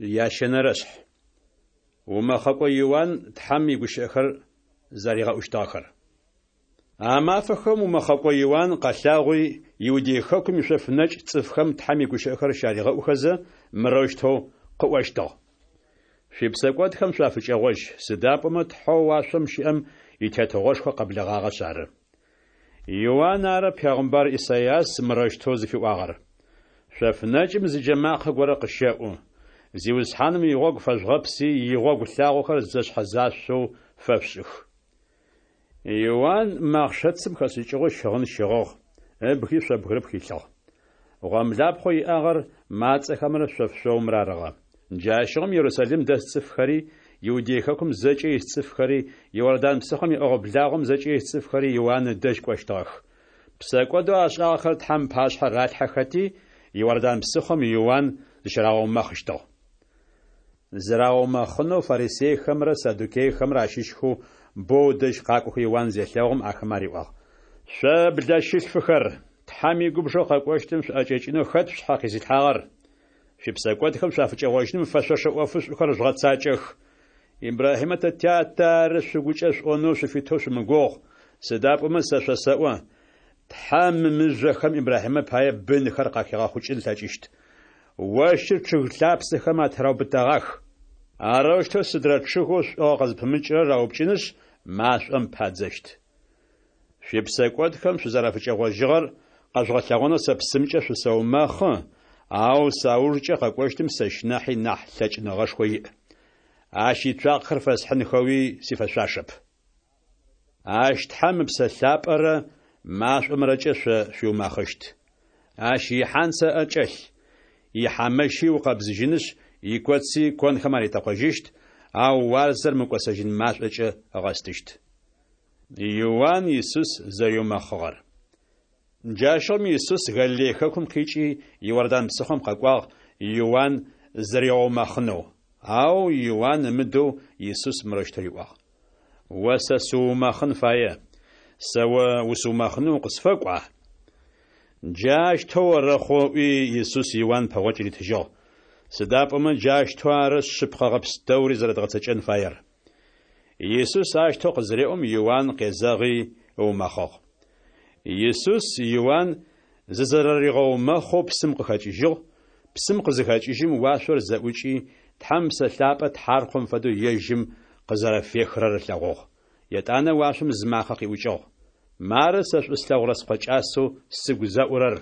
Ящэнэрэшъхь. Умэхъэкӏо Иуан Тхьэм игущыӏэхэр зэригъэӏущтыгъэхэр. А мафэхэм умэхъэкӏо Иуан къэлъагъуи, Иудей хэкум ишъоф нэкӏ цӏыфхэм Тхьэм игущыӏэхэр щаригъэӏухэзэ, мырэущтэу къыӏощтыгъ. Шъуипсэкӏодхэм шъуафыкӏэгъожь, сыда пӏомэ Тхьэу уашъом щыӏэм и Тетыгъошхо къэблэгъагъэшъ ары. Иуан ары пегъымбар Исайас мырэущтэу зыфиӏуагъэр: Шъоф нэкӏым зы джэмакъэ горэ къыщэӏу: Зиусхьаным игъогу фэжъугъэпси, игъогу лъагъохэр зэшъхьэзашъоу фэшъушӏых. Иуан мэхъшэцым хэшӏыкӏыгъэу щыгъын щыгъыгъ, ыбги шъо бгырыпх илъыгъ. Гъомлапхъэу иӏагъэр мацӏэхэмрэ шъоф шъоумрэ арыгъэ. Джащыгъум Ерусалим дэс цӏыфхэри, Иудей хэкум зэкӏэ ис цӏыфхэри, Иордан псыхъом иӏэгъо-благъом зэкӏэ ис цӏыфхэри Иуан ыдэжь кӏощтыгъэх. Псэкӏодэу ашӏагъэхэр Тхьэм ыпашъхьэ ралъхьэхэти, Иордан псыхъом Иуан зыщырагъэумэхъыщтыгъ. Зырагъэумэхъынэу фарисейхэмрэ саддукейхэмрэ ащыщхэу бэу ыдэжь къакӏохэу Иуан зелъэгъум, ахэмэ ариӏуагъ: Шъо блэщылъфыхэр, Тхьэм игубжэу къэкӏощтым шъуӏэкӏэкӏынэу хэт шъушъхьэ къизылъхьагъэр? Шъуипсэкӏодхэм шъуафыкӏэгъожьыным фэшъошэ ӏофышӏухэр жъугъэцакӏэх. Ибрахьимэ тэ тятэ ары шъугукӏэ шъуӏонэу шъуфитэу шъумыгугъ, сыда пӏомэ сэ шъосэӏо, Тхьэм мы мыжъохэм Ибрахьимэ пае бынхэр къахигъэхъукӏын ылъэкӏыщт. Ощыр чъыг лъапсэхэм атыраубытэгъах. Арэущтэу сыдрэ чъыгэу шӏугъэ къызпымыкӏырэр раупкӏынышъ, машӏом падзэщт. Шъуипсэкӏодхэм шъузэрафыкӏэгъожьыгъэр къэжъугъэлъэгъонэу сэ псымкӏэ шъусэумэхъы, ау саужкӏэ къэкӏощтым сэщ нахьи нахь лъэкӏыныгъэшхо иӏ. Ащ ицуакъэхэр фэсхьынхэуи сифэшъуашэп. Ащ Тхьэм Ыпсэ Лъапӏэрэ машӏомрэкӏэ шъо шъуиумэхъыщт. Ащ ихьанцэ ыӏэ кӏэлъ, ихьамэщи ыукъэбзыжьынышъ, икоци конхэм аритэкъожьыщт, ау уарзэр мыкӏосэжьын машӏокӏэ ыгъэстыщт. Иуан Исус зэриумэхъыгъэр. Джащыгъум Исус Галилей хэкум къикӏи, Иордан псыхъом къэкӏуагъ, Иуан зыригъэумэхъынэу. Ау Иуан ымыдэу Исус мырэущтэу риӏуагъ: О сэ сыуумэхъын фае, сэ о усыумэхъынэу укъысфэкӏуа? Джащтэу орэхъу, ыӏуи, Исус Иуан пэгъокӏ ритыжьыгъ. Сыда пӏомэ джащтэу ары шъыпкъэгъэ пстэури зэрэдгъэцэкӏэн фаер. Исус ащтэу къызыреӏом, Иуан къезэгъи ыумэхъыгъ. Исус Иуан зызэрэригъэумэхъэу псым къыхэкӏыжьыгъ, псым къызыхэкӏыжьым, уашъор зэӏукӏи, Тхьэм Ыпсэ Лъапӏэ тхьаркъом фэдэу ежьым къызэрэфехырэр ылъэгъугъ. Етӏанэ уашъом зы макъэ къиӏукӏыгъ: Мары сэ шӏу слъэгъурэ Скъо кӏасэу сыгу зэӏурэр.